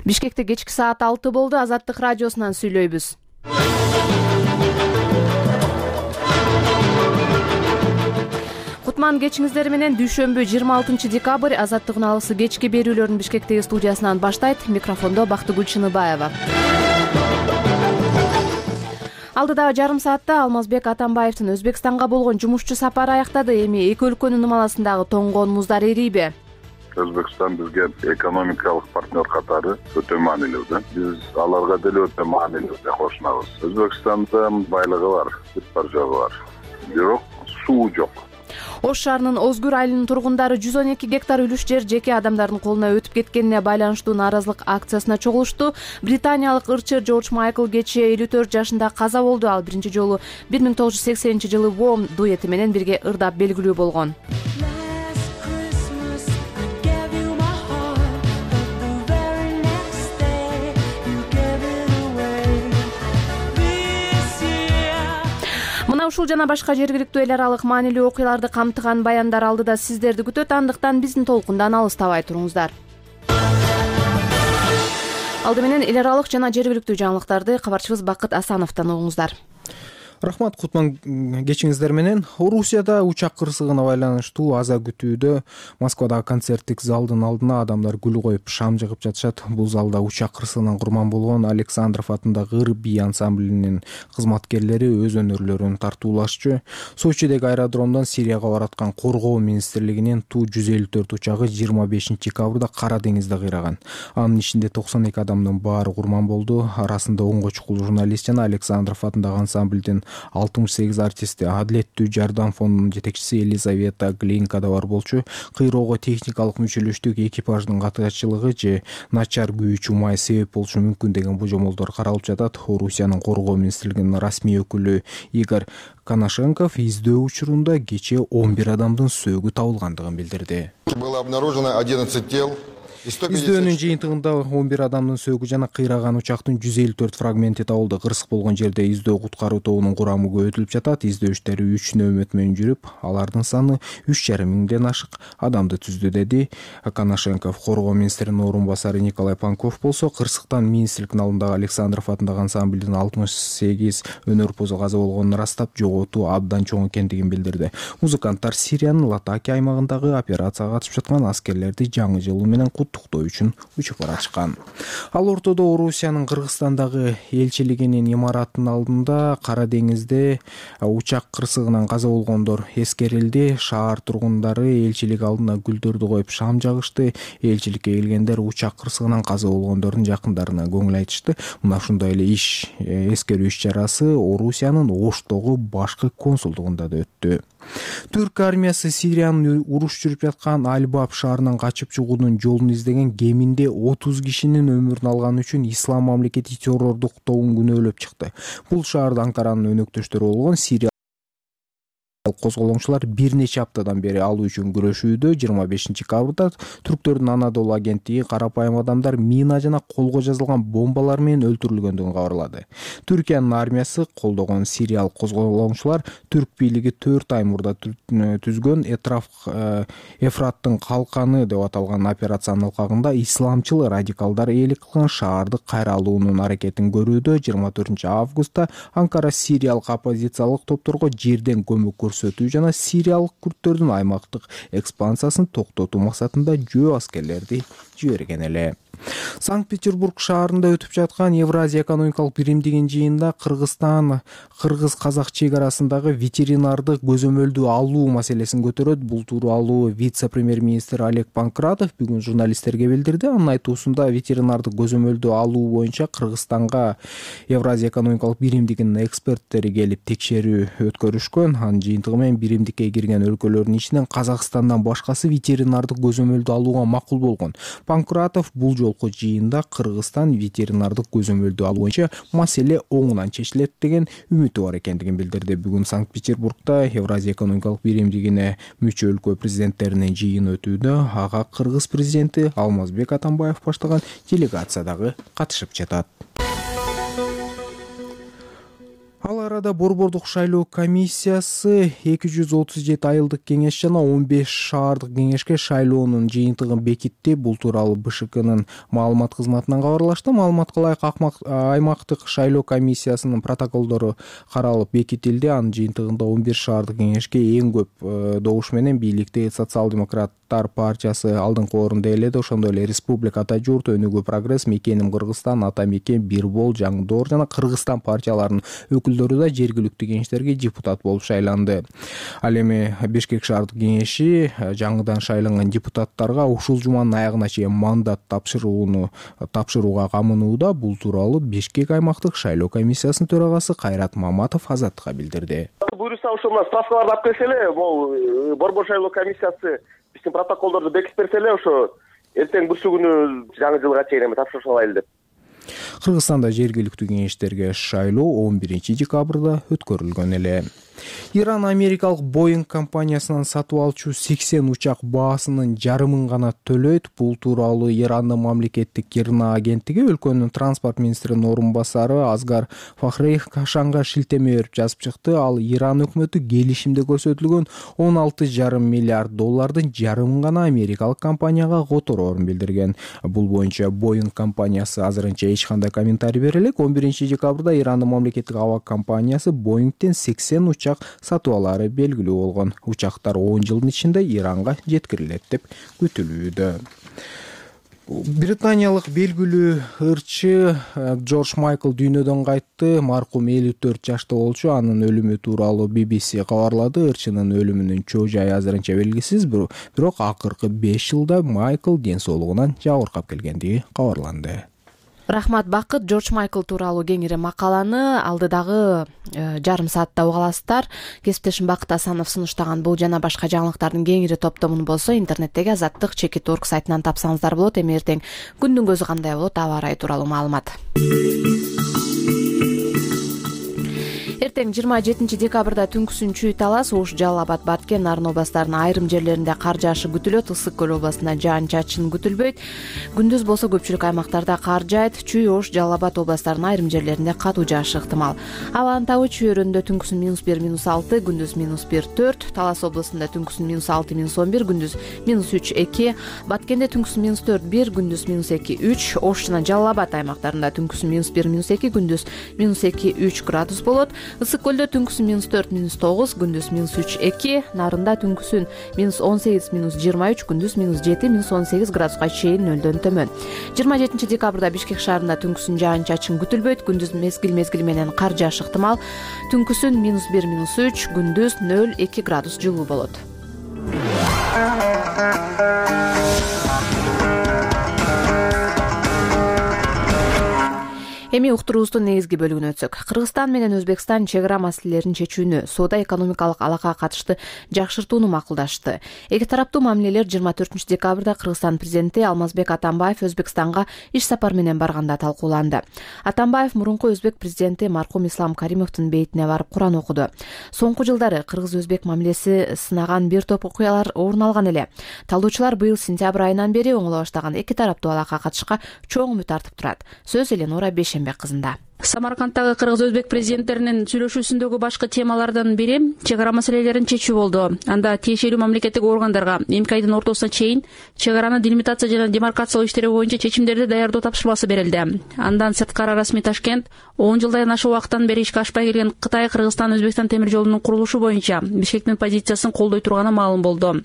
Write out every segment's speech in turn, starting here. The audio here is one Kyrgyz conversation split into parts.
Бишкекте кечки саат 6 болду. Азаттык радиосунан сүйлөйбүз. Кутман кечиңиздер менен дүйшөмбү 26 декабрь Азаттыгын алысы кечки берүүлөрүн Бишкектеги студиясынан баштайт. Микрофондо Бактыгүл Чыныбаева. Алдыдагы жарым саатта Алмазбек Атамбаевдин Өзбекстанга болгон жумушчу сапары аяктады. Эми эки өлкөнүн ымаласындагы тоңгон муздар эрийби? Өзбекстан бизге экономикалык партнер катары өтө маанилүү да. Биз аларга деле өтө маанилүү деп кошунабыз. Өзбекстанда байлыгы бар, бар жогу бар. Бирок суу жок. Ош шаарынын Озгүр айылынын тургундары 112 гектар үлүш жер жеке адамдардын колуна өтүп кеткенине байланыштуу нааразылык акциясына чогулушту. Британиялык ырчы Джордж Майкл кечээ 54 жашында каза болду. Ал биринчи жолу 1980-жылы Warm дуэти менен бирге ырдап белгилүү болгон. Ушул жана башка жергиликтүү эл аралык маанилүү окуяларды камтыган баяндар алдыда сиздерди күтөт. Андыктан биздин толкундан алыстабай туруңуздар. Алды менен эл аралык жана жергиликтүү жаңылыктарды кабарчыбыз Бакыт Асановдон угуңуздар. Рахмат, Кутман кечиңиздер менен. Орусияда учак кырсыгына байланыштуу аза күтүүдө Москвадагы концерттик залдын алдына адамдар гүл коюп, шам жыгып жатышат. Бул залда учак кырсыгынан курман болгон Александров атындагы ыр бий ансамблинин кызматкерлери өз өнөрлөрүн тартуулашчу. Сочидеги аэродромдон Сирияга бараткан Коргоо министрлигинин Ту-154 учагы 25 декабрда Кара деңизде кыйраган. Анын ичинде 92 адамдын баары курман болду. Арасында 10 чукул журналист жана Александров атындагы ансамблдин 68 артисти. Адилеттүү жардам фондунун жетекчиси Елизавета Глинка да бар болчу. Кыйроого техникалык мүчөлөштүк экипаждын катачылыгы же начар күйүүчү май себеп болушу мүмкүн деген божомолдор каралып жатат. Орусиянын Коргоо министрлигинин расмий өкүлү Игорь Коношенков издөө учурунда кечээ 11 адамдын сөөгү табылгандыгын билдирди. Было обнаружено 11 тел. Издөөнүн жыйынтыгында 11 адамдын сөөгү жана кыйраган учактын 154 фрагменти табылды. Кырсык болгон жерде издөө куткаруу тобунун курамы көбөйтүлүп жатат. Издөө иштери 3 нөөмөт менен жүрүп, алардын саны 3,5 миңден ашык адамды түздү, деди Коношенков. Коргоо министринин орун басары Николай Панков болсо, кырсыктан министрликтин алдындагы Александров атындагы ансамблдин 68 өнөрпозу каза болгонун ырастап, жоготуу абдан чоң экендигин билдирди. Музыканттар Сириянын Латакия аймагындагы операцияга катышып жаткан аскерлерди жаңы жылы менен куттуктоо үчүн учуп барачкан. Ал ортодо Орусиянын Кыргызстандагы элчилигинин имаратынын алдында Кара деңизде учак кырсыгынан каза болгондор эскерилди. Шаар тургундары элчилик алдына гүлдөрдү коюп шам жагышты. Элчиликке келгендер учак кырсыгынан каза болгондордун жакындарына көңүл айтышты. Мына ушундай эле эскерүү иш-чарасы Орусиянын Оштогу башкы консулдугунда да өттү. Түрк армиясы Сириянын уруш жүрүп жаткан Аль-Баб шаарынан качып чыгуунун жолун издеген кеминде 30 кишинин өмүрүн алган үчүн Ислам мамлекети террордук тобун күнөөлөп чыкты. Бул шаарда Анкаранын өнөктөштөрү болгон Сирия козголоңчулар бир нече аптадан бери алуу үчүн күрөшүүдө. 25 декабрда түрктөрдүн Анадолу агенттиги карапайым адамдар мина жана колго жазылган бомбалар менен өлтүрүлгөндүгүн кабарлады. Түркиянын армиясы колдогон сириялык козголоңчулар түрк бийлиги 4 ай мурда түзгөн Эфраттын калканы деп аталган операциянын алкагында исламчыл радикалдар ээлик кылган шаарды кайра алуунун аракетин көрүүдө. 24 августта Анкара сириялык оппозициялык топторго жерден көмөк көрсөтүү жана сириялык күрттөрдүн аймактык экспансиясын токтотуу максатында жөө аскерлерди жиберген эле. Санкт-Петербург шаарында өтүп жаткан Евразия экономикалык биримдигинин жыйынында Кыргыз-Казак чек арасындагы ветеринардык көзөмөлдү алуу маселесин көтөрөт. Бул тууралуу вице-премьер-министр Олег Панкратов бүгүн журналисттерге билдирди. Анын айтуусунда ветеринардык көзөмөлдү алуу боюнча Кыргызстанга Евразия экономикалык биримдигинин эксперттери келип текшерүү өткөрүшкөн. Анын жыйынтыгы менен биримдикке кирген өлкөлөрдүн ичинен Казакстандан башкасы ветеринардык көзөмөлдү алууга макул болгон. Панкратов бул жолку жыйында Кыргызстан ветеринардык көзөмөлдү алуу боюнча маселе оңунан чечилет деген үмүтү бар экендигин билдирди. Бүгүн Санкт-Петербургда Евразия экономикалык биримдигине мүчө өлкө президенттеринин жыйыны өтүүдө. Ага Кыргыз президенти Алмазбек Атамбаев баштаган делегация дагы катышып жатат. Ал арада Борбордук шайлоо комиссиясы 237 айылдык кеңеш жана 15 шаардык кеңешке шайлоонун жыйынтыгын бекитти. Бул тууралуу БШКнын маалымат кызматынан кабарлашты. Маалыматка ылайык аймактык шайлоо комиссиясынын протоколдору каралып бекитилди. Анын жыйынтыгында 11 шаардык кеңешке эң көп добуш менен бийликти социал-демократтар партиясы алдыңкы орунду ээледи. Ошондой эле Республика Ата журт, Өнүгүү прогресс, Мекеним Кыргызстан, Ата Мекен, Бирбол, Жаңдоор жана Кыргызстан партияларынын өкүлдөрү да жергиликтүү кеңештерге депутат болуп шайланды. Ал эми Бишкек шаардык кеңеши жаңыдан шайланган депутаттарга ушул жуманын аягына чейин мандат тапшырууга камынууда. Бул тууралуу Бишкек аймактык шайлоо комиссиясынын төрагасы Кайрат Маматов Азаттыкка билдирди. Буюрса ошо мына справкаларды алып келсе эле, могу Борбор шайлоо комиссиясы биздин протоколдорду бекитип берсе эле, ошо эртең бүрсү күнү жаңы жылга чейин эми тапшырыш алайлы деп. Кыргызстанда жергиликтүү кеңештерге шайлоо 11 декабрда өткөрүлгөн эле. Иран америкалык Boeing компаниясынан сатып алчу 80 учак баасынын жарымын гана төлөйт. Бул тууралуу Ирандын мамлекеттик КИРНА агенттиги өлкөнүн транспорт министринин орун басары Азгар Фахрей Кашанга шилтеме берип жазып чыкты. Ал Иран өкмөтү келишимде көрсөтүлгөн 16,5 миллиард доллардын жарымын гана америкалык компанияга котороорун билдирген. Бул боюнча Boeing компаниясы азырынча эч кандай комментарий бере элек. 11 декабрда Ирандын мамлекеттик аба компаниясы Boeingтен 80 учак сатып алары белгилүү болгон. Учактар 10 жылдын ичинде Иранга жеткирилет деп күтүлүүдө. Британиялык белгилүү ырчы Джордж Майкл дүйнөдөн кайтты. Маркум 54 жашта болчу. Анын өлүмү тууралуу BBC кабарлады. Ырчынын өлүмүнүн чоо жайы азырынча белгисиз, бирок акыркы 5 жылда Майкл ден соолугунан жабыркап келгендиги кабарланды. Рахмат, Бакыт. Джордж Майкл тууралуу кеңири макаланы алдыдагы жарым саатта уга аласыздар. Кесиптешим Бакыт Асанов сунуштаган бул жана башка жаңылыктардын кеңири топтомун болсо интернеттеги Азаттык.org сайтынан тапсаңыздар болот. Эми эртең күндүн көзү кандай болот, аба ырайы тууралуу маалымат. Эртең 27 декабрда түнкүсүн Чүй, Талас, Ош, Жалал Абад, Баткен, Нарын областарынын айрым жерлеринде кар жаашы күтүлөт. Ысык көл областында жаан-чачын күтүлбөйт. Күндүз болсо көпчүлүк аймактарда кар жаайт. Чүй, Ош, Жалал Абад областарынын айрым жерлеринде катуу жаашы ыктымал. Абанын табы Чүй өрөөнүндө түнкүсүн -1, -6, күндүз -1, -4. Талас областында түнкүсүн -6, -11, күндүз -3, -2. Баткенде түнкүсүн -4, -1, күндүз -2, -3. Ош жана Жалал Абад аймактарында түнкүсүн -1, -2, күндүз -2, -3 градус болот. Ысык көлдө түнкүсүн -4, -9, күндүз -3, -2. Нарында түнкүсүн -18, -23, күндүз -7, -18 градуска чейин нөлдөн төмөн. 27 декабрда Бишкек шаарында түнкүсүн жаан-чачын күтүлбөйт. Күндүз мезгил менен кар жаашы ыктымал. Түнкүсүн -1, -3, күндүз 0-2 градус жылуу болот. Эми уктуруубуздун негизги бөлүгүнө өтсөк. Кыргызстан менен Өзбекстан чек ара маселелерин чечүүнү, соода-экономикалык алакага катышты жакшыртууну макулдашты. Эки тараптуу мамилелер 24 декабрда Кыргызстан президенти Алмазбек Атамбаев Өзбекстанга иш сапар менен барганда талкууланды. Атамбаев мурунку Өзбек президенти маркум Ислам Каримовдун бейитине барып Куран окуду. Соңку жылдары кыргыз-өзбек мамилеси сынаган бир топ окуялар орун алган эле. Талдоочулар быйыл сентябрь айынан бери оңоло баштаган эки тараптуу алакага катышка чоң үмүт артып турат. Сөз Эленора Бейшембек кызында. Самаркандтагы кыргыз-өзбек президенттеринин сүйлөшүүсүндөгү башкы темалардын бири чек ара маселелерин чечүү болду. Анда тиешелүү мамлекеттик органдарга эмки айдын ортосуна чейин чек араны делимитация жана демаркациялоо иштери боюнча чечимдерди даярдоо тапшырмасы берилди. Андан сырткары расмий Ташкент 10 жылдан ашык убакыттан бери ишке ашпай келген Кытай, Кыргызстан, Өзбекстан темир жолунун курулушу боюнча Бишкектин позициясын колдой турганы маалым болду.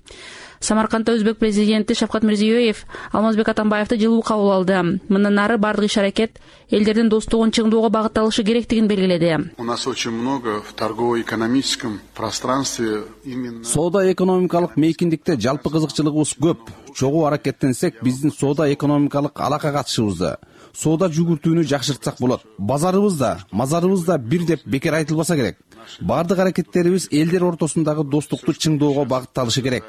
Самаркандта Өзбек президенти Шавкат Мирзиёев Алмазбек Атамбаевди жылуу кабыл алды. Мындан нары бардык иш-аракет элдердин достугун чыңдоого багытталышы керектигин белгиледи. У нас очень много в торгово-экономическом пространстве именно соода-экономикалык мейкиндикте жалпы кызыкчылыгыбыз көп. Чогуу аракеттенсек, биздин соода-экономикалык алака катышыбызды, соода жүгүртүүнү жакшыртсак болот. Базарыбыз да, мазарыбыз да бир деп бекер айтылбаса керек. Бардык аракеттерибиз элдер ортосундагы достукту чыңдоого багытталышы керек.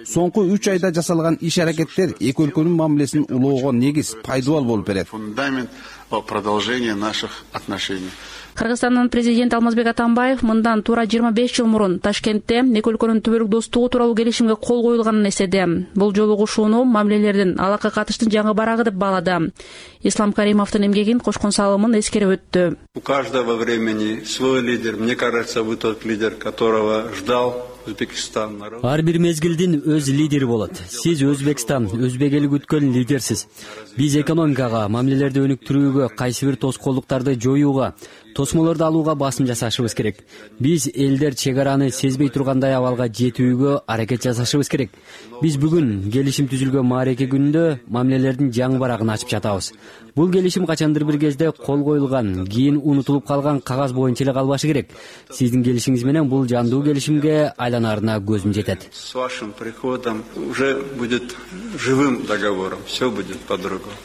Соңку 3 айда жасалган иш-аракеттер эки өлкөнүн мамилесин улоого негиз, пайдалуу болуп берет. Фундамент продолжения наших отношений. Кыргызстандын президенти Алмазбек Атамбаев мындан туура 25 жыл мурун Ташкентте эки өлкөнүн түбөлүк достугу тууралуу келишимге кол коюлганын эстеди. Бул жолугушууну мамилелердин алакка катыштын жаңы барагы деп баалады. Ислам Каримовдун эмгегин кошкон салымын эскерип өттү. У каждого времени свой лидер. Мне кажется, вы тот лидер, которого ждал Өзбекстан народ. Ар бир мезгилдин өз лидери болот. Сиз Өзбекстан, өзбек эли күткөн лидерсиз. Биз экономикага, мамилелерди өнүктүрүүгө, кайсы бир тоскоолдуктарды жоюуга, тосмолорду алууга басым жасашыбыз керек. Биз элдер чек араны сезбей тургандай абалга жетүүгө аракет жасашыбыз керек. Биз бүгүн келишим түзүлгөн маареке күнүндө мамилелердин жаңы барагын ачып жатабыз. Бул келишим качандыр бир кезде кол коюлган, кийин унутулуп калган кагаз боюнча эле калбашы керек. Сиздин келишиңиз менен бул жандуу келишимге айланарына көзүм жетет. С вашим приходом уже будет живым договором. Все будет по-другому.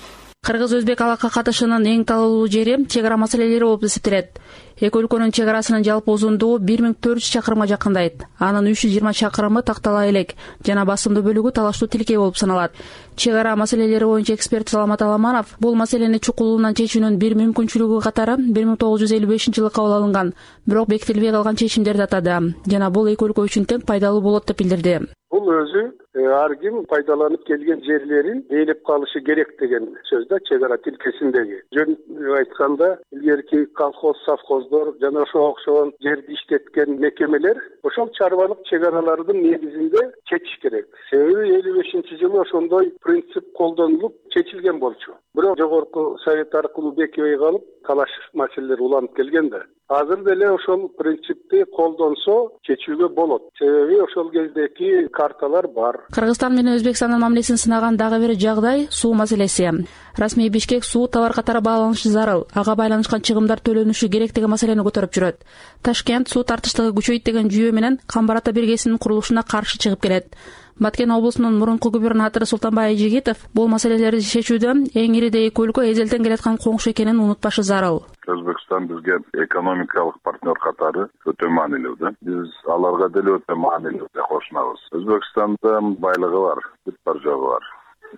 Кыргыз-өзбек алака катышынын эң талаалуу жери чек ара маселелери болуп эсептелет. Эки өлкөнүн чек арасынын жалпы узундугу 1400 чакырымга жакындайт. Анын 320 чакырымы тактала элек жана басымдуу бөлүгү талаштуу тилкей болуп саналат. Чек ара маселелери боюнча эксперт Саламат Аламанов бул маселени чукулунан чечүүнүн бир мүмкүнчүлүгү катары 1955-жылы кабыл алынган, бирок бекитилбей калган чечимдерди атады жана бул эки өлкө үчүн тең пайдалуу болот деп билдирди. Бул өзү ар ким пайдаланып келген жерлерин ээлеп калышы керек деген сөз да чек ара тилкесиндеги. Жөн айтканда илгерки колхоз, совхоздор жана ошого окшогон жерди иштеткен мекемелер ошол чарбалык чек аралардын негизинде чечиш керек. Себеби 55-жылы ошондой принцип колдонулуп чечилген болчу. Бирок жогорку совет аркылуу бекибей калып талаш маселелер уланып келген да. Азыр деле ошол принципти колдонсо чечүүгө болот. Себеби ошол кездеки карталар бар. Кыргызстан менен Өзбекстандын мамилесин сынаган дагы бир жагдай суу маселеси. Расмий Бишкек суу товар катары бааланышы зарыл, ага байланышкан чыгымдар төлөнүшү керек деген маселени көтөрүп жүрөт. Ташкент суу тартыштыгы күчөйт деген жүйө менен Камбар ата биргесинин курулушуна каршы чыгып келет. Баткен облусунун мурунку губернатору Султанбай Айжигитов бул маселелерди чечүүдө эң ириде эки өлкө эзелтен келаткан коңшу экенин унутпашы зарыл. Өзбекстан бизге экономикалык партнер катары өтө маанилүү да. Биз аларга деле өтө маанилүү деп кошунабыз. Өзбекстанда байлыгы бар, бүт бар жогу бар.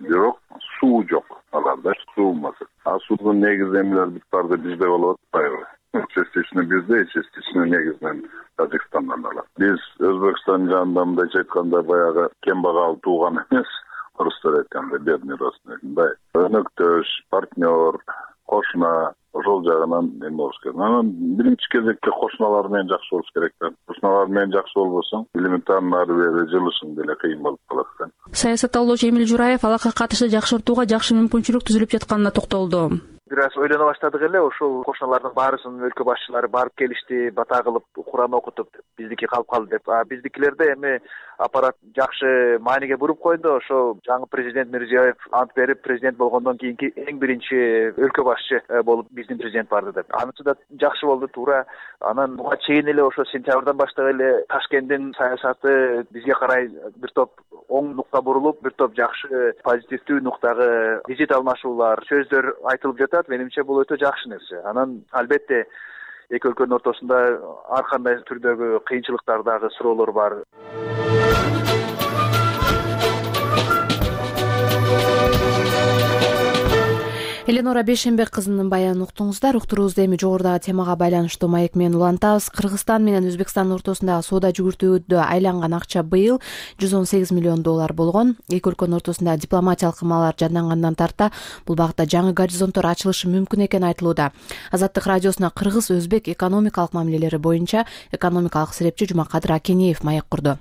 Бирок суу жок. Аларда суу маселе. А суунун негизи эмелер бүт барды бизде болуп атпайбы? Частично бизде, частично негизинен Тажикстандан алат. Биз Өзбекстан жанында мындайча айтканда баягы кембагал тууган эмес, орустар айтканда бедный родственник. Мындай өнөктөш, партнер, кошуна ошол жагынан эме болуш керек. Анан биринчи кезекте кошуналар менен жакшы болуш керек да. Кошуналар менен жакшы болбосоң, элементарный ары бери жылышың деле кыйын болуп калат да. Саясатталуучу Эмил Жураев алака катышты жакшыртууга жакшы мүмкүнчүлүк түзүлүп жатканына токтолду. Бир аз ойлоно баштадык эле, ошол кошуналардын баарысын өлкө башчылары барып келишти, бата кылып, Куран окутуп, биздики калып калды деп. Биздикилерде эми аппарат жакшы мааниге буруп койду. Ошо жаңы президент Мирзиёев ант берип, президент болгондон кийинки эң биринчи өлкө башчы болуп биздин президент барды деп. Анысы да жакшы болду, туура. Анан буга чейин эле ошо сентябрдан баштап эле Ташкенттин саясаты бизге карай бир топ оң нукта бурулуп, бир топ жакшы позитивдүү нуктагы визит алмашуулар, сөздөр айтылып жатат. Менимче бул өтө жакшы нерсе. Анан албетте эки өлкөнүн ортосунда ар кандай түрдөгү кыйынчылыктар дагы, суроолор бар. Эленора Бейшенбек кызынын баянын уктуңуздар. Уктуруубузду эми жогорудагы темага байланыштуу маек менен улантабыз. Кыргызстан менен Өзбекстан ортосундагы соода жүгүртүүдө айланган акча быйыл $118 миллион болгон. Эки өлкөнүн ортосунда дипломатиялык ыкмалар жандангандан тарта бул багытта жаңы горизонттор ачылышы мүмкүн экени айтылууда. Азаттык радиосуна кыргыз-өзбек экономикалык мамилелери боюнча экономикалык серепчи Жумакадыр Акенеев маек курду.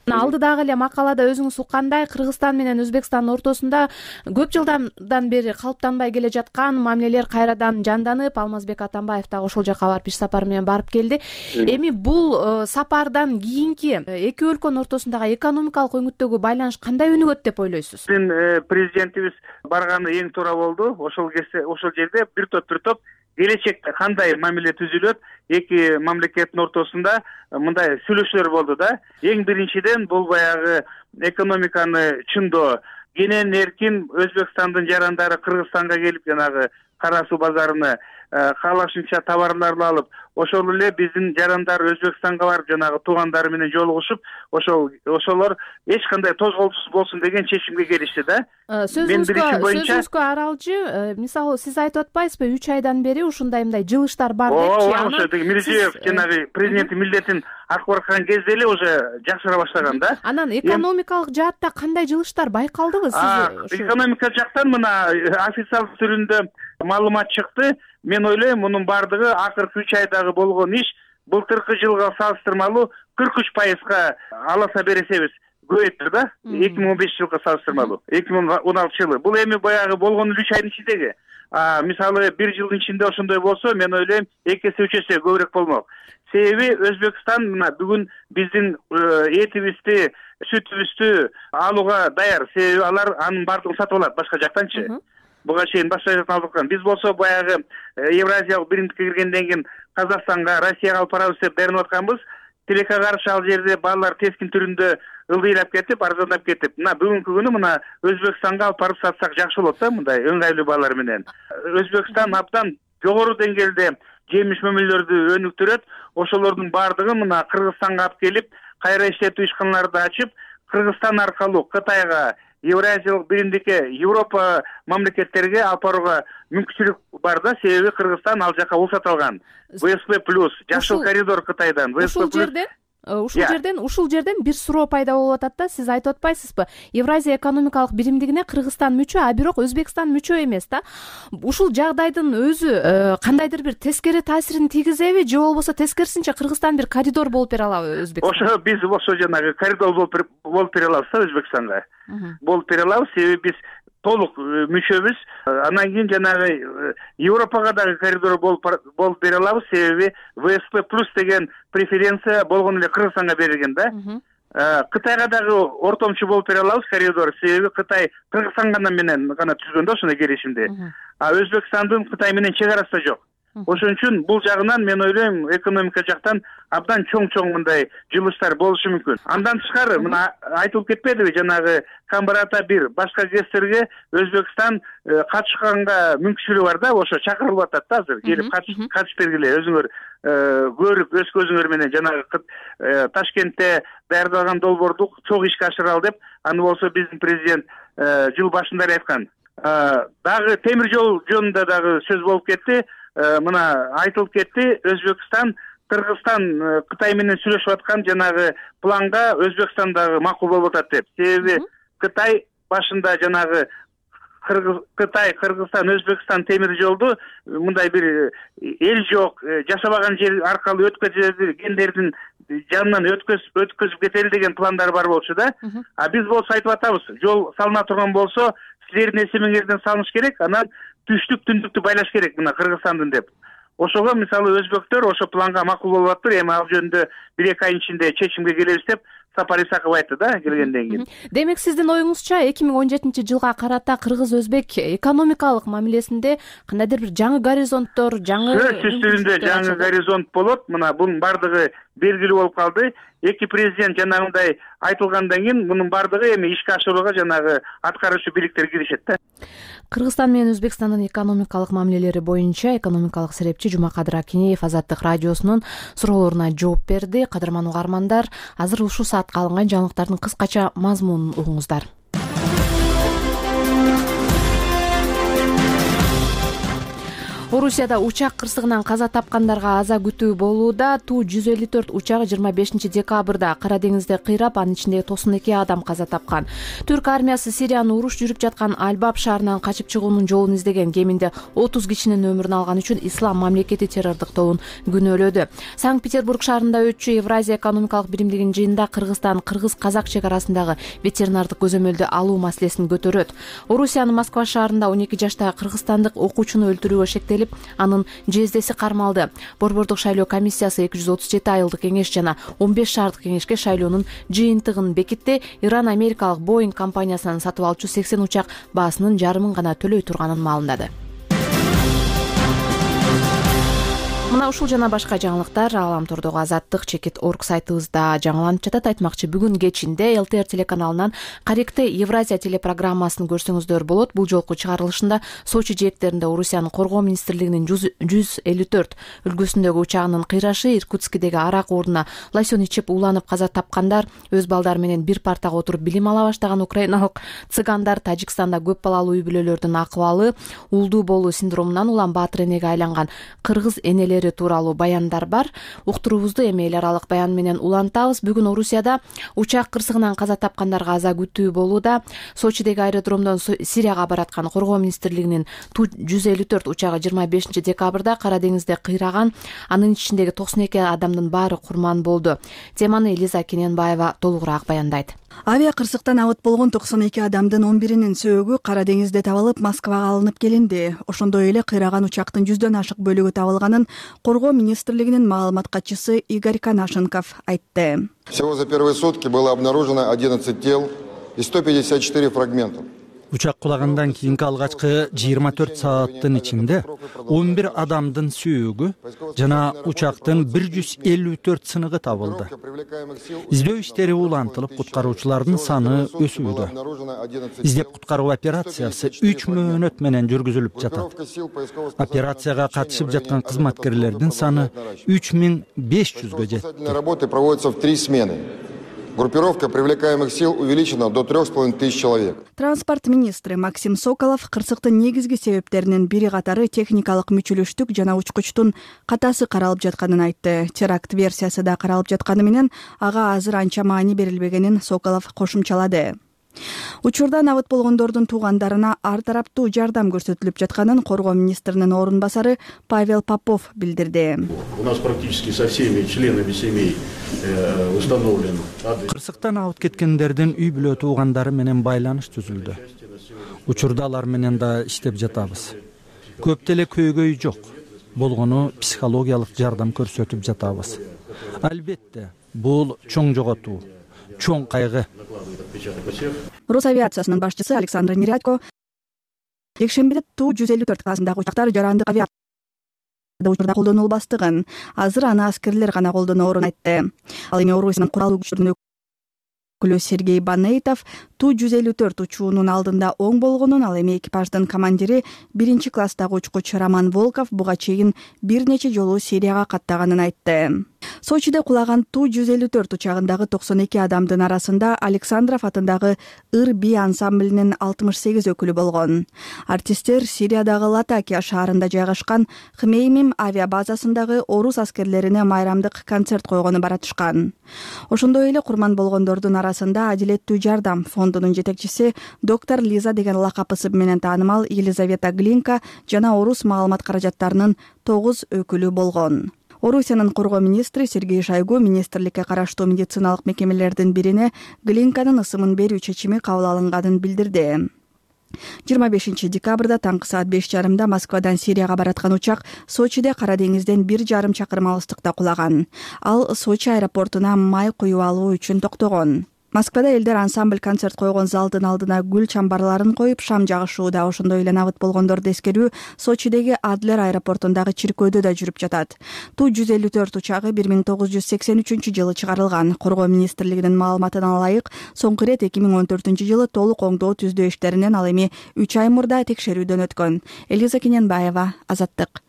Алдыдагы эле макалада өзүңүз уккандай, Кыргызстан менен Өзбекстандын ортосунда көп жылдан бери калыптанбай келе жаткан мамилелер кайрадан жанданып, Алмазбек Атамбаев дагы ошол жака барып иш сапары менен барып келди. Эми бул сапардан кийинки эки өлкөнүн ортосундагы экономикалык өңүттөгү байланыш кандай өнүгөт деп ойлойсуз? Президентибиз барганы эң туура болду. Ошол жерде бир топ келечекте кандай мамиле түзүлөт, эки мамлекеттин ортосунда мындай сүйлөшүүлөр болду да. Эң биринчиден бул баягы экономиканы чындоо, кенен эркин Өзбекстандын жарандары Кыргызстанга келип жанагы кара суу базарына каалашынча товарларды алып, ошол эле биздин жарандар Өзбекстанга барып жанагы туугандары менен жолугушуп ошолор эч кандай тозголоосуз болсун деген чечимге келишти да. Сөзүңүзгө аралжы, мисалы сиз айтып атпайсызбы 3 айдан бери ушундай мындай жылыштар бар депчи. Ооба, Мирзиёев жанагы президенттин милдетин аткарып аткан кезде эле уже жакшыра баштаган да. Анан экономикалык жаатта кандай жылыштар байкалдыбы сиз? Экономика жактан мына официалдуу түрүндө маалымат чыкты. Мен ойлойм, мунун бардыгы акыркы 3 айдагы болгон иш былтыркы жылга салыштырмалуу 43%га аласа бересебиз көбөйттүр да. 2015 жылга салыштырмалуу 2016 жылы. Бул эми баягы болгон 3 айдын ичиндеги. Мисалы 1 жылдын ичинде ошондой болсо, мен ойлойм 2 эсе 3 эсе көбүрөөк болмок. Себеби Өзбекстан мына бүгүн биздин этибизди, сүтүбүздү алууга даяр. Себеби алар анын бардыгын сатып алат башка жактанчы. Буга чейин башка жактан алып аткан. Биз болсо баягы Евразиялык биримдикке киргенден кийин Казакстанга, Россияга алып барабыз деп даярданып атканбыз. Тилекке каршы ал жерде баалар тескин түрүндө ылдыйлап кетип, арзандап кетип, мына бүгүнкү күнү мына Өзбекстанга алып барып сатсак жакшы болот да, мындай ыңгайлуу баалар менен. Өзбекстан абдан жогору деңгээлде жемиш мөмөлөрдү өнүктүрөт. Ошолордун бардыгын мына Кыргызстанга алып келип, кайра иштетүү ишканаларды ачып, Кыргызстан аркылуу Кытайга, Евразиялык биримдикке, Европа мамлекеттерге алып барууга мүмкүнчүлүк бар да. Себеби Кыргызстан ал жака уруксат алган. ВСП+, жашыл коридор Кытайдан. Ушул жерден бир суроо пайда болуп атат да. Сиз айтып атпайсызбы? Евразия экономикалык биримдигине Кыргызстан мүчө, а бирок Өзбекстан мүчө эмес да. Ушул жагдайдын өзү кандайдыр бир тескери таасирин тийгизеби, же болбосо тескерисинче Кыргызстан бир коридор болуп бере алабы Өзбекстанга? Ошо биз болсо жанагы коридор болуп бере алабыз да Өзбекстанга. Болуп бере алабыз, себеби биз толук мүчөбүз. Анан кийин жанагы Европага дагы коридор болуп бере алабыз, себеби ВСП+ деген преференция болгон эле Кыргызстанга берилген да. Кытайга дагы ортомчу болуп бере алабыз коридор, себеби Кытай Кыргызстан менен гана түзгөн да ошондой келишимди. Өзбекстандын Кытай менен чек арасы да жок. Ошон үчүн бул жагынан мен ойлойм, экономика жактан абдан чоң мындай жылыштар болушу мүмкүн. Андан тышкары мына айтылып кетпедиби, жанагы Камбарата 1 башка ГЭСтерге Өзбекстан катышканга мүмкүнчүлүгү бар да, ошо чакырылып атат да азыр. Келип катышып бергиле, өзүңөр көрүп өз көзүңөр менен жанагы Ташкентте даярдалган долбоорду чоң ишке ашыралы деп, аны болсо биздин президент жыл башында эле айткан. Дагы темир жол жөнүндө дагы сөз болуп кетти. Мына айтылып кетти, Өзбекстан, Кыргызстан Кытай менен сүйлөшүп аткан жанагы планга Өзбекстан дагы макул болуп атат деп. Себеби Кытай башында жанагы Кытай, Кыргызстан, Өзбекстан темир жолду мындай бир эл жок, жашабаган жер аркылуу өткөзгендердин жанынан өткөзүп кетели деген пландар бар болчу да. Биз болсо айтып атабыз, жол салына турган болсо, силердин эсебиңерден салыныш керек, анан түштүк түндүктү байлаш керек мына Кыргызстандын деп. Ошого мисалы өзбектөр ошо планга макул болуп атыр. Эми ал жөнүндө 1-2 ай ичинде чечимге келебиз деп Сапар Исаков айтты да келгенден кийин. Демек сиздин оюңузча 2017 жылга карата кыргыз-өзбек экономикалык мамилесинде кандайдыр бир жаңы горизонттор, сөзсүз түрүндө жаңы горизонт болот. Мына бунун бардыгы белгилүү болуп калды. Эки президент жанагындай айтылгандан кийин мунун бардыгы эми ишке ашырууга жанагы аткаруучу бийликтер киришет да. Кыргызстан менен Өзбекстандын экономикалык мамилелери боюнча экономикалык серепчи Жумакадыр Акинеев Азаттык радиосунун суроолоруна жооп берди. Кадырман угармандар, азыр ушул саатка алынган жаңылыктардын кыскача мазмунун угуңуздар. Орусияда учак кырсыгынан каза тапкандарга аза күтүү болууда. Ту-154 учагы 25 декабрда Кара деңизде кыйрап, анын ичинде 92 адам каза тапкан. Түрк армиясы Сириянын уруш жүрүп жаткан Албаб шаарынан качып чыгуунун жолун издеген кеминде 30 кишинин өмүрүн алган үчүн Ислам мамлекети террордук тобун күнөөлөдү. Санкт-Петербург шаарында өтчү Евразия экономикалык биримдигинин жыйынында Кыргызстан кыргыз-казак чек арасындагы ветеринардык көзөмөлдү алуу маселесин көтөрөт. Орусиянын Москва шаарында 12 жаштагы кыргызстандык окуучуну өлтүрүүгө шектелип, анын жездеси кармалды. Борбордук шайлоо комиссиясы 237 айылдык кеңеш жана 15 шаардык кеңешке шайлоонун жыйынтыгын бекитти. Иран америкалык Boeing компаниясынан сатып алчу 80 учак баасынын жарымын гана төлөй турганын маалымдады. Мына ушул жана башка жаңылыктар Ааламтордогу Азаттык.org сайтыбызда жаңыланып жатат. Айтмакчы, бүгүн кечинде ЛТР телеканалынан Каректе Евразия телепрограммасын көрсөңүздөр болот. Бул жолку чыгарылышында Сочи жээктеринде Орусиянын Коргоо министрлигинин 154 үлгүсүндөгү учагынын кыйрашы, Иркутскидеги арак ордуна лосьон ичип ууланып каза тапкандар, өз балдары менен бир партага отуруп билим ала баштаган украиналык цыгандар, Тажикстанда көп балалуу үй бүлөлөрдүн акыбалы, улдуу болуу синдромунан улам баатыр энеге айланган кыргыз энелери тууралуу баяндар бар. Уктуруубузду эми эл аралык баян менен улантабыз. Бүгүн Орусияда учак кырсыгынан каза тапкандарга аза күтүү болууда. Сочидеги аэродромдон Сирияга бараткан Коргоо министрлигинин Ту-154 учагы 25 декабрда Кара деңизде кыйраган. Анын ичиндеги 92 адамдын баары курман болду. Теманы Элиза Кененбаева толугураак баяндайт. Авиа кырсыктан абыт болгон 92 адамдын 11-нин сөөгү Кара деңизде табылып, Москвага алынып келинди. Ошондой эле кыйраган учактын 100дөн ашык бөлүгү табылганын Коргоо министрлигинин маалымат катчысы Игорь Канашенков айтты. Всего за первые сутки было обнаружено 11 тел и 154 фрагмента. Учак кулагандан кийинки алгачкы 24 сааттын ичинде 11 адамдын сүйөгү жана учактын 154 сыныгы табылды. Издөө иштери улантылып, куткаруучулардын саны өсүүдө. Издеп куткаруу операциясы 3 мөөнөт менен жүргүзүлүп жатат. Операцияга катышып жаткан кызматкерлердин саны 3500гө жетти. Работы проводятся в 3 смены. Группировка привлекаемых сил увеличена до 3500 человек. Транспорт министри Максим Соколов кырсыктын негизги себептеринин бири катары техникалык мүчүлүштүк жана учкучтун катасы каралып жатканын айтты. Теракт версиясы да каралып жатканы менен ага азыр анча маани берилбегенин Соколов кошумчалады. Учурдан абыт болгондордун туугандарына ар тараптуу жардам көрсөтүлүп жатканын Коргоо министринин орун басары Павел Попов билдирди. У нас практически со всеми членами семей установлен. Кырсыктан абыт кеткендердин үй бүлө туугандары менен байланыш түзүлдү. Учурда алар менен да иштеп жатабыз. Көп деле көйгөй жок. Болгону психологиялык жардам көрсөтүп жатабыз. Албетте, бул чоң жоготуу, чоң кайгы. Росавиациясынын башчысы Александр Нерядько жекшембиде Ту-154 классындагы учактар жарандык авиация учурда колдонулбастыгын, азыр аны аскерлер гана колдоноорун айтты. Ал эми Орусиянын куралдуу күчтөрүнүн өкүлү Сергей Банейтов Ту-154 учуунун алдында оң болгонун, ал эми экипаждын командири 1 класстагы учкуч Роман Волков буга чейин бир нече жолу Сирияга каттаганын айтты. Сочиде кулаган Ту-154 учагындагы 92 адамдын арасында Александров атындагы Ыр-Би ансамблинин 68 өкүлү болгон. Артисттер Сириядагы Латакия шаарында жайгашкан Хмеймим авиабазасындагы орус аскерлерине майрамдык концерт койгону баратышкан. Ошондой эле курман болгондордун арасында Адилеттүү жардам фондунун жетекчиси доктор Лиза деген лакап ысыбы менен таанымал Елизавета Глинка жана орус маалымат каражаттарынын 9 өкүлү болгон. Орусиянын Коргоо министри Сергей Шойгу министрликке караштуу медициналык мекемелердин бирине Глинканын ысымын берүү чечими кабыл алынганын билдирди. 25 декабрда таңкы саат 5:30 Москвадан Сирияга бараткан учак Сочиде Кара деңизден 1,5 чакырым алыстыкта кулаган. Ал Сочи аэропортуна май куюп алуу үчүн токтогон. Москвада элдер ансамбль концерт койгон залдын алдына гүл чамбарларын коюп шам жагышууда. Ошондой эле абыт болгондорду эскерүү Сочидеги Адлер аэропортундагы чиркөөдө да жүрүп жатат. Ту-154 учагы 1983 чыгарылган. Коргоо министрлигинин маалыматына ылайык, соңку ирет 2014 толук оңдоо түздөө иштеринен ал эми 3 ай мурда текшерүүдөн өткөн. Элиза Кененбаева, Азаттык.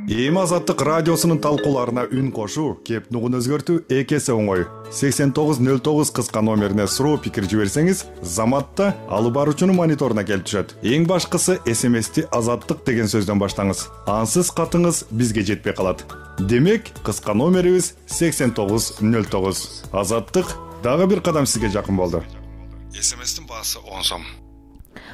Эми Азаттык радиосунун талкууларына үн кошуу, кеп нугун өзгөртүү эки эсе оңой. 8909 кыска номерине суроо пикир жиберсеңиз, заматта алып баруучунун мониторуна келип түшөт. Эң башкысы СМСти Азаттык деген сөздөн баштаңыз. Ансыз катыңыз бизге жетпей калат. Демек, кыска номерибиз 8909. Азаттык дагы бир кадам сизге жакын болду. СМСтин баасы 10 сом.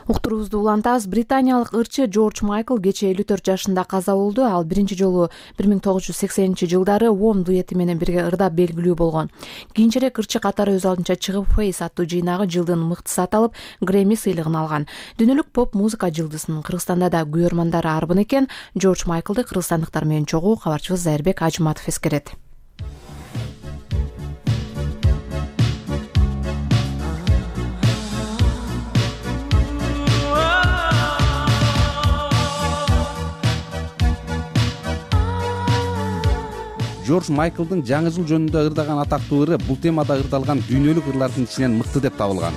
Уктуруубузду улантабыз. Британиялык ырчы Джордж Майкл кечээ 54 жашында каза болду. Ал биринчи жолу 1980-жылдары Уом дуэти менен бирге ырдап белгилүү болгон. Кийинчерээк ырчы катары өз алдынча чыгып Face аттуу жыйнагы жылдын мыктысы аталып, Грэмми сыйлыгын алган. Дүйнөлүк поп музыка жылдызынын Кыргызстанда да күйөрмандары арбын экен. Джордж Майклды кыргызстандыктар менен чогуу кабарчыбыз Зайырбек Ажыматов эскерет. Джордж Майклдын жаңы жыл жөнүндө ырдаган атактуу ыры бул темада ырдалган дүйнөлүк ырлардын ичинен мыкты деп табылган.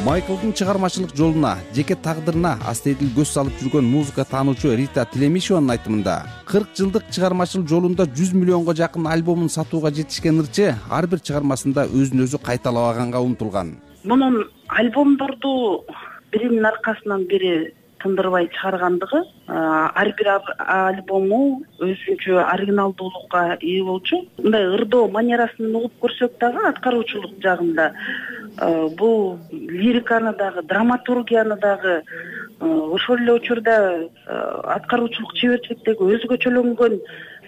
Майклдын чыгармачылык жолуна, жеке тагдырына астейдил көз салып жүргөн музыка таануучу Рита Телемишеванын айтымында 40 жылдык чыгармачылык жолунда 100 миллионго жакын альбомун сатууга жетишкен ырчы ар бир чыгармасында өзүн өзү кайталабаганга умтулган. Мунун альбомдорду биринин аркасынан бири тындырбай чыгаргандыгы, ар бир альбому өзүнчө оригиналдуулукка ээ болчу. Мындай ырдоо манерасын угуп көрсөк дагы аткаруучулук жагында бул лириканы дагы, драматургияны дагы, ошол эле учурда аткаруучулук чеберчиликтеги өзгөчөлөнгөн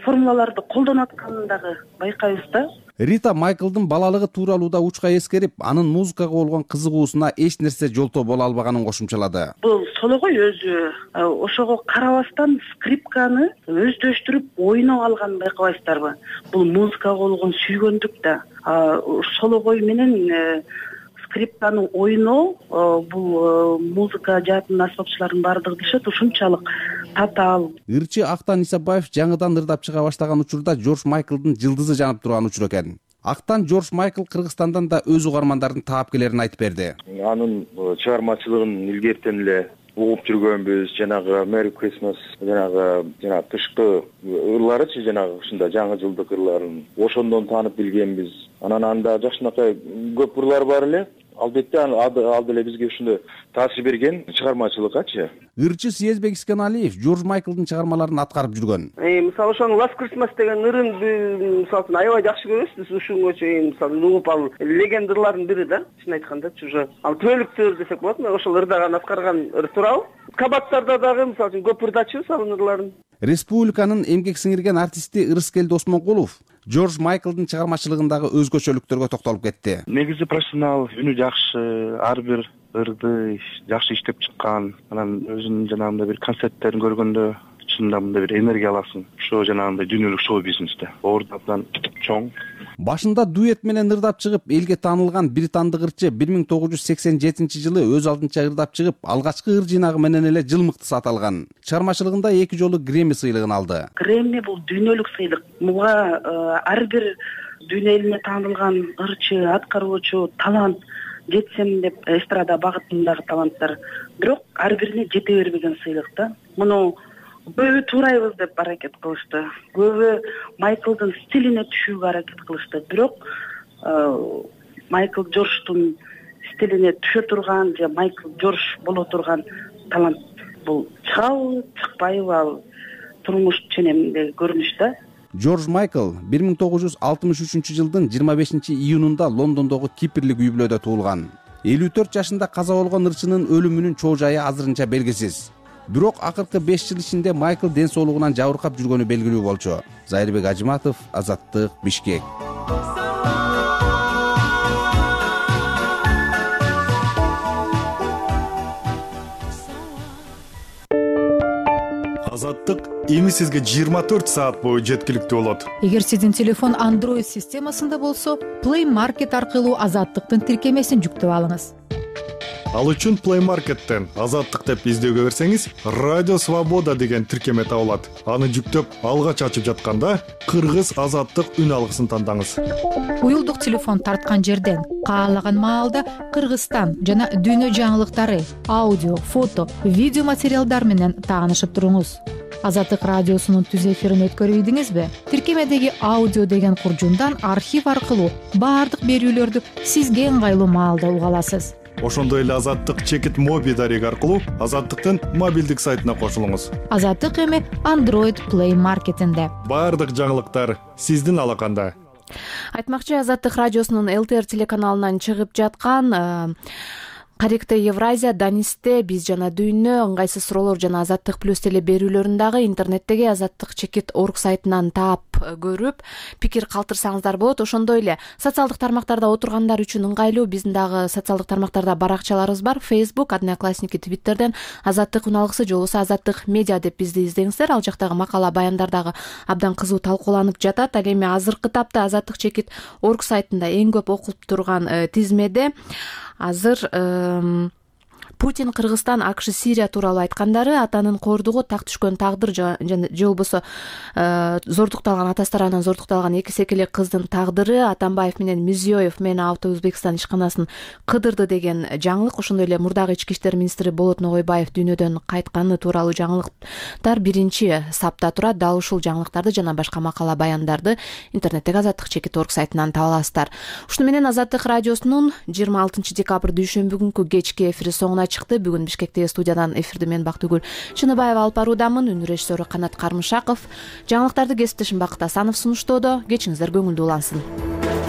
формулаларды колдонуп атканын дагы байкайбыз да. Рита Майклдын балалыгы тууралуу да учка эскерип, анын музыкага болгон кызыгуусуна эч нерсе жолтоо боло албаганын кошумчалады. Бул сологой өзү ошого карабастан скрипканы өздөштүрүп ойноп алганын байкабайсыздарбы? Бул музыкага болгон сүйгөндүк да. Сологой менен скрипканы ойноо бул музыка жаатынын аспапчыларынын баардыгы дешет ушунчалык татаал. Ырчы Актан Исабаев жаңыдан ырдап чыга баштаган учурда Джордж Майклдын жылдызы жанып турган учур экен. Актан Джордж Майкл Кыргызстандан да өз угармандарын таап келерин айтып берди. Анын чыгармачылыгын илгертен эле угуп жүргөнбүз, жанагы Merry Christmas, жанагы тышкы ырларычы, жанагы ушундай жаңы жылдык ырларын ошондон таанып билгенбиз. Анан анда жакшынакай көп ырлар бар эле. Албетте ал деле бизге ушундай таасир берген чыгармачылыккачы. Ырчы Съезбек Исканалиев Джордж Майклдын чыгармаларын аткарып жүргөн. Мисалы ошонун Last Christmas деген ырын мисалы аябай жакшы көрөбүз биз ушунга чейин. Мисалы угуп ал легендалардын бири да, чын айткандачы уже. Ал түбөлүктүү ыр десек болот, ошол ырдаган аткарган ыр тууралуу. Кабаттарда дагы мисалы көп ырдачыбыз ал ырларын. Республиканын эмгек сиңирген артисти Ырыскелди Осмонкулов Джордж Майклдын чыгармачылыгындагы өзгөчөлүктөргө токтолуп кетти. Негизи профессионал, үнү жакшы, ар бир ырды жакшы иштеп чыккан. Анан өзүнүн жанагындай бир концерттерин көргөндө чынында мындай бир энергия аласың. Ошо жанагындай дүйнөлүк шоу бизнесте ордудан чоң. Башында дуэт менен ырдап чыгып, элге таанылган британдык ырчы 1987-жылы өз алдынча ырдап чыгып, алгачкы ыр жыйнагы менен эле жыл мыктысы аталган. Чыгармачылыгында 2 жолу Грэмми сыйлыгын алды. Грэмми бул дүйнөлүк сыйлык. Буга ар бир дүйнө элине таанылган ырчы, аткаруучу, талант жетсем деп эстрада багытындагы таланттар. Бирок ар бирине жете бербеген сыйлык да. Муну көбү туурайбыз деп аракет кылышты. Көбү Майклдын стилине түшүүгө аракет кылышты. Бирок Майкл Джордждун стилине түшө турган же Майкл Джордж боло турган талант бул чыгабы, чыкпайбы ал турмуш ченеминдеги көрүнүш да. Джордж Майкл 1963-жылдын 25-июнунда Лондондогу Кипрлик үй бүлөдө туулган. 54 жашында каза болгон ырчынын өлүмүнүн чоо жайы азырынча белгисиз. Бирок акыркы 5 жыл ичинде Майкл ден соолугунан жабыркап жүргөнү белгилүү болчу. Зайырбек Ажыматов, Азаттык, Бишкек. Азаттык эми сизге 24 саат бою жеткиликтүү болот. Эгер сиздин телефон Android системасында болсо, Play Market аркылуу Азаттыктын тиркемесин жүктөп алыңыз. Ал үчүн Play Market'тен Азаттык деп издөөгө берсеңиз, Радио Свобода деген тиркеме табылат. Аны жүктөп, алгач ачып жатканда Кыргыз Азаттык үн алгысын тандаңыз. Уюлдук телефон тарткан жерден каалаган маалда Кыргызстан жана дүйнө жаңылыктары, аудио, фото, видео материалдар менен таанышып туруңуз. Азаттык радиосунун түз эфирин өткөрүп ийдиңизби? Тиркемедеги аудио деген куржундан архив аркылуу баардык берүүлөрдү сизге ыңгайлуу маалда уга аласыз. Ошондой эле Азаттык чекит моби дареги аркылуу Азаттыктын мобилдик сайтына кошулуңуз. Азаттык эми Android Play Market'инде. Баардык жаңылыктар сиздин алаканда. Айтмакчы, Азаттык радиосунун ЛТР телеканалынан чыгып жаткан Каректе Евразия, Данисте, Биз жана дүйнө, ыңгайсыз суроолор жана Азаттык плюс теле берүүлөрүн дагы интернеттеги Азаттык чекит орг сайтынан таап көрүп, пикир калтырсаңыздар болот. Ошондой эле социалдык тармактарда отургандар үчүн ыңгайлуу биздин дагы социалдык тармактарда баракчаларыбыз бар. Facebook, Одноклассники, Twitterден Азаттык үн алгысы же болбосо Азаттык медиа деп бизди издеңиздер. Ал жактагы макала, баяндар дагы абдан кызуу талкууланып жатат. Ал эми азыркы тапта Азаттык чекит орг сайтында эң көп окулуп турган тизмеде азыр Путин Кыргызстан, АКШ Сирия тууралуу айткандары атанын коордугу так түшкөн тагдыр же болбосо зордукталган атасы тарабынан зордукталган эки секелек кыздын тагдыры Атамбаев менен Мирзиёев мени Авто Өзбекстан ишканасын кыдырды деген жаңылык, ошондой эле мурдагы ички иштер министри Болот Ногойбаев дүйнөдөн кайтканы тууралуу жаңылыктар биринчи сапта турат. Дал ушул жаңылыктарды жана башка макала баяндарды интернеттеги Азаттык.org сайтынан таба аласыздар. Ушуну менен Азаттык радиосунун 26 декабрь дүйшөмбү күнкү кечки эфири соңуна чыкты. Бүгүн Бишкектеги студиядан эфирди мен Бактыгүл Чыныбаева алып баруудамын. Үнү режиссеру Канат Кармышаков. Жаңылыктарды кесиптешим Бакыт Асанов сунуштоодо. Кечиңиздер көңүлдүү улансын.